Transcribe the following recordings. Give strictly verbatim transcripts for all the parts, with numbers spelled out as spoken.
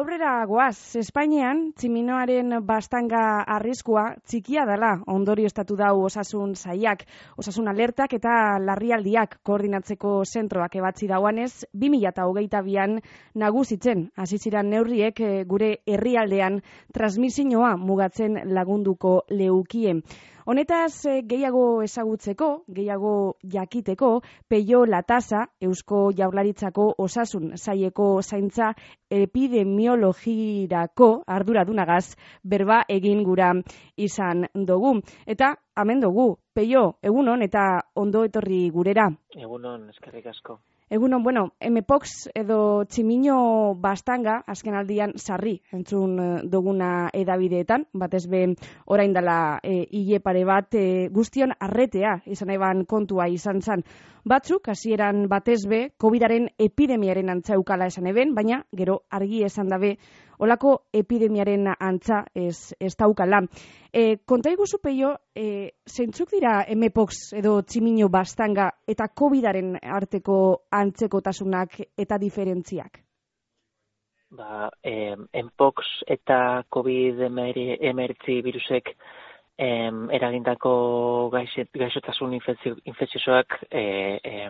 aurrera goaz, Espainian tximinoaren bastanga arriskua txikia dela ondorioztatu dau osasun sailak, osasun alertak eta larrialdiak koordinatzeko zentroak ebatzi dauanez, bi mila hogeita bian nagusitzen hasi ziren neurriek gure herrialdean transmisioa mugatzen lagunduko leukie. Honetaz gehiago ezagutzeko, gehiago jakiteko, Peio Latasa, Eusko Jaurlaritzako osasun saileko zaintza epidemiologirako arduradunagaz berba egin gura izan dugu. Eta hemen dugu, Peio, egunon eta ondo etorri gurera. Egunon, eskerrik asko. Egunon, bueno, Mpox edo tximino bastanga, azken aldian sarri entzun duguna edabideetan, batez be orain dela e, hile pare bat e, guztion arretea izan eban kontua izan zan. Batzuk, hasieran batez be, COVIDaren epidemiaren antzaukala esan eben, baina gero argi esan dabe olako epidemiaren antza ez, ez daukala. E, konta iguzu, Peio, e, zeintzuk dira Mpox edo tximino bastanga eta COVIDaren arteko antzekotasunak eta diferentziak? Ba, eh, Mpox eta COVID hemeretzi virusek eh, eragindako gaixet, gaixotasun infekziosoak eh, eh,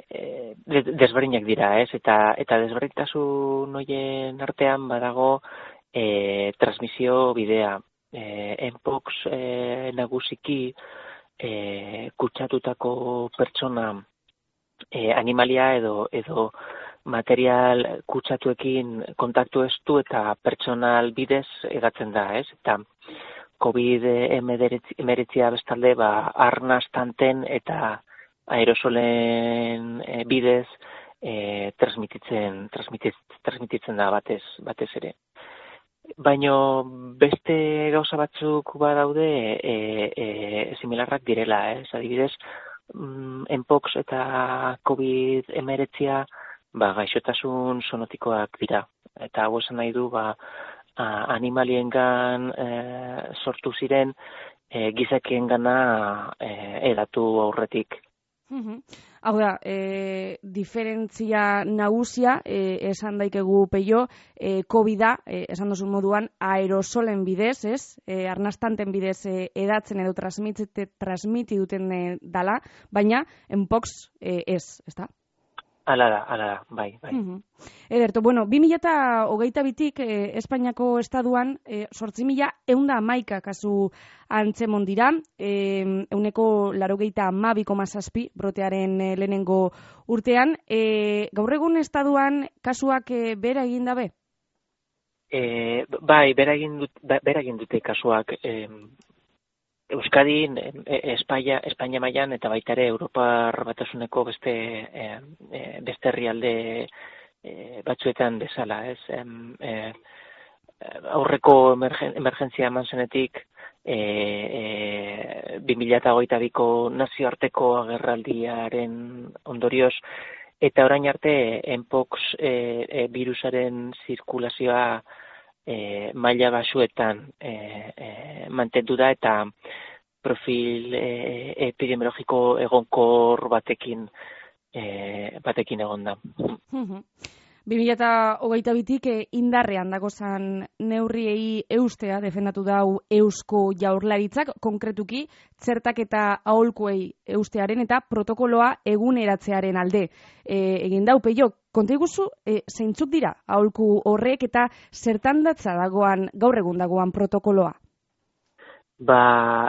eh, desberdinak dira, ez? Eta, eta desberdintasun horien artean badago eh, transmisio bidea. Eh, Mpox eh, nagusiki eh, kutsatutako pertsona eh, animalia edo edo material kutsatuekin kontaktu estu eta pertsonal bidez edatzen da, ez? Eta COVID hemeretzia bestalde ba arnastanten eta aerosolen e, bidez e, transmititzen transmititzen transmititzen da batez batez ere. Baino beste gauza batzuk badaude e, e, similarrak direla, ez? Adibidez, Mpox eta COVID hemeretzia ba gaixotasun sonotikoak dira. Eta hau esan nahi du ba animaliengan e, sortu ziren e, gizakiengana e, edatu aurretik. Uhum. Hau da, e, diferentzia nagusia, e, esan daikegu Peio, e, COVID-a, e, esan duzun moduan, aerosolen bidez, ez? E, arnastanten bidez e, edatzen edo transmiti duten e, dala, baina Mpox e, ez, ez da? Hala da, hala da, bai, bai. Uhum. Ederto, bueno, bi mila hogeita bitik eh, Espainiako estaduan eh, sortzi mila eunda hamaika kasu antzemon dira, eh, euneko larogeita hamabi koma zazpi brotearen eh, lehenengo urtean. Eh, gaur egun estaduan kasuak eh, bera egin dabe? Eh, bai, bera egin, dut, bera egin dute kasuak. Eh, Euskadin, Espaia, Espainia mailan eta baita ere Europar Batasuneko beste eh, beste herrialde eh, batzuetan bezala, ez? Eh, aurreko emergen, emergentzia eman zenetik eh, eh, bi mila hogeita biko nazioarteko agerraldiaren ondorioz eta orain arte Mpox eh, eh, virusaren zirkulazioa E, maila basuetan e, e, mantendu da eta profil e, epidemiologiko egonkor batekin e, batekin egon da. bi mila hogeita bitik e, indarrean dagozan neurriei eustea defendatu dau Eusko Jaurlaritzak, konkretuki txertak eta aholkuei eustearen eta protokoloa eguneratzearen alde e, egin dau. Peio, konta iguzu, e, zeintzuk dira aholku horrek eta zertan datza dagoan, gaur egun dagoan protokoloa? Ba,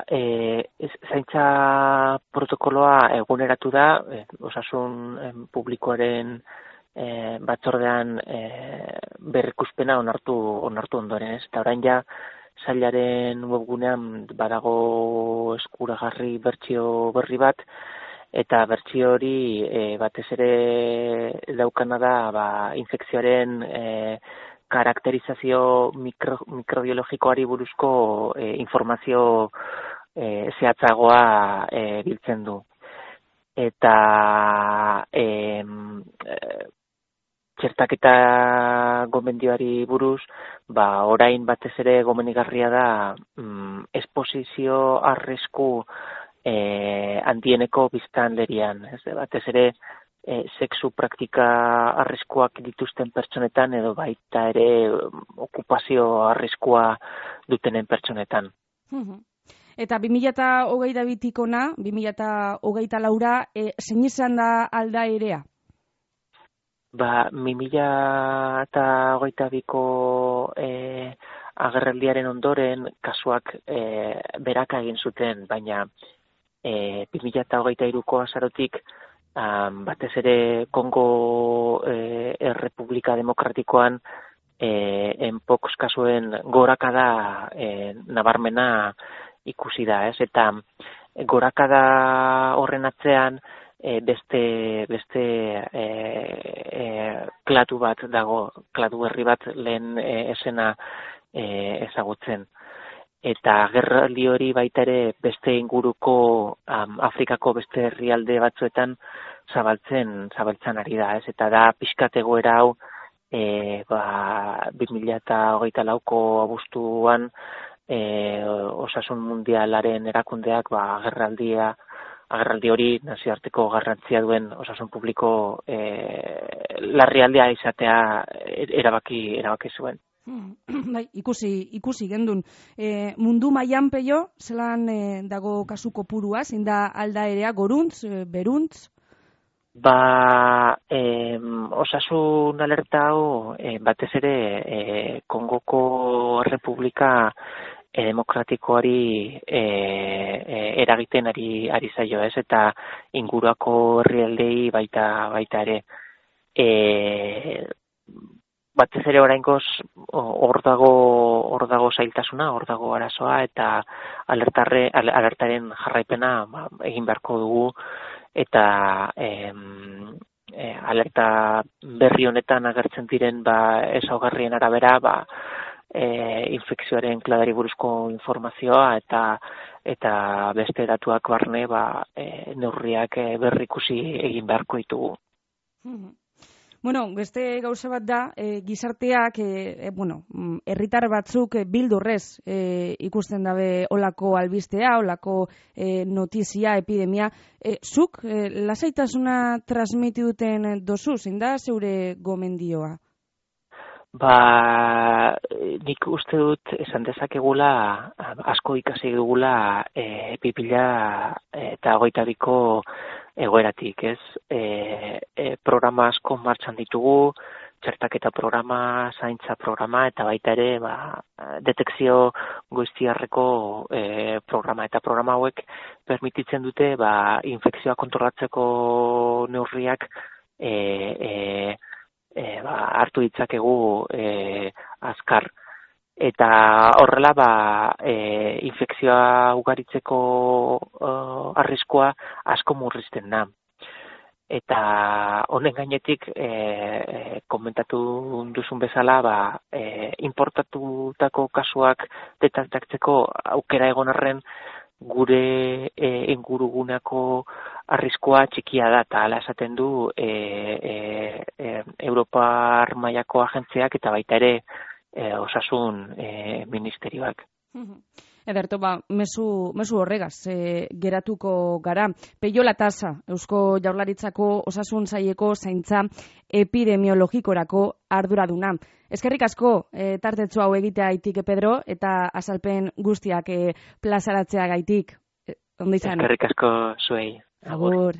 e, zaintza protokoloa eguneratu da, e, osasun e, publikoaren e, batzordean e, berrikuspena onartu onartu ondoren, ez? Eta orain ja sailaren webgunean badago eskuragarri bertsio berri bat, eta bertsio hori e, batez ere daukana da ba, infekzioaren e, karakterizazio mikro, mikrobiologikoari buruzko e, informazio e, zehatzagoa e, biltzen du. Eta e, e, txertaketa gomendioari buruz, ba, orain batez ere gomenigarria da mm, esposizio arrisku e, handieneko biztanlerian. Ez, batez ere e, sexu praktika arriskuak dituzten pertsonetan edo baita ere okupazio arriskua dutenen pertsonetan. Eta bi mila hogeita bitik ona, bi mila hogeita laura, e, zein izan da aldaerea? Ba, bi mila hogeita biko e, agerraldiaren ondoren kasuak e, beraka egin zuten, baina e, bi mila hogeita hiruko azarotik um, batez ere Kongo e, Errepublika Demokratikoan e, enpox kasuen gorakada e, nabarmena ikusi da, ez? Eta gorakada horren atzean e, beste beste e, e, klatu bat dago, klatu berri bat lehen e, esena e, ezagutzen. Eta agerraldi hori baita ere beste inguruko um, Afrikako beste herrialde batzuetan zabaltzen zabaltzen ari da, ez? Eta da pixkat egoera hau e, ba, bi mila hogeita lauko abuztuan E, Osasun Mundialaren erakundeak ba, agerraldia, agerraldi hori nazioarteko garrantzia duen osasun publiko e, larrialdea izatea erabaki erabaki zuen. Bai, ikusi ikusi gendun. E, mundu mailan peio, zelan e, dago kasu kopurua, zein da aldaerea, goruntz, e, beruntz? Ba, e, osasun alerta hau e, batez ere e, Kongoko Errepublika E, demokratikoari e, e, eragiten ari, ari zaio, ez? Eta inguruako herrialdei baita baita ere. E, batez ere oraingoz hor dago hor dago zailtasuna, hor dago arazoa eta alertarre alertaren jarraipena ba, egin beharko dugu eta em, e, alerta berri honetan agertzen diren ba ezaugarrien arabera ba E, infekzioaren kladari buruzko informazioa eta eta beste datuak barne ba, e, neurriak e, berrikusi egin beharko ditugu. Mm-hmm. Bueno, beste gauza bat da, e, gizarteak, e, e, bueno, herritar batzuk e, bildurrez e, ikusten dabe olako albistea, olako e, notizia, epidemia. E, zuk, e, lasaitasuna transmiti duten dozu, zein da zeure gomendioa? Ba, nik uste dut esan dezakegula, asko ikasi dugula e, pipila eta hogeita biko egoeratik, ez? E, e, programa asko martxan ditugu, txertaketa programa, zaintza programa, eta baita ere, ba, detekzio goiztiarreko e, programa. Eta programa hauek permititzen dute, ba, infekzioa kontrolatzeko neurriak e, e, E, ba, hartu ditzakegu e, azkar. Eta horrela ba, e, infekzioa ugaritzeko e, arriskua asko murrizten da. Eta honen gainetik e, e, komentatu duzun bezala ba, e, importatutako kasuak detektatzeko aukera egon arren gure e, inguruguneko arriskua txikia da, eta hala esaten du e, e, e, Europar mailako agentziak eta baita ere e, osasun e, ministerioak. Ederto, ba, mezu, mezu horregaz, e, geratuko gara. Peio Latasa, Eusko Jaurlaritzako osasun saileko zaintza epidemiologikorako arduraduna. Eskerrik asko, e, tartetxo hau egitea gaitik, Pedro, eta azalpen guztiak e, plazaratzea gaitik. E, Ondo izan. Eskerrik asko zuei. Agur.